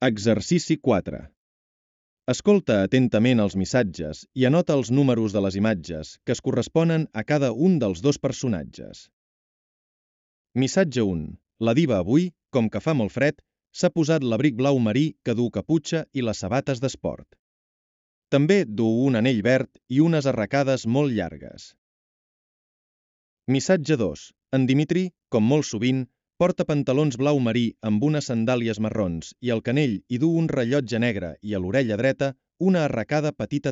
Exercici 4. Escolta atentament els missatges i anota els números de les imatges que es corresponen a cada un dels dos personatges. Missatge 1. La diva avui, com que fa molt fred, s'ha posat l'abric blau marí que du caputxa i les sabates d'esport. També du un anell verd i unes arracades molt llargues. Missatge 2. En Dimitri, com molt sovint, porta pantalons blau marí amb unes sandàlies marrons i al canell hi du un rellotge negre i a l'orella dreta una arracada petita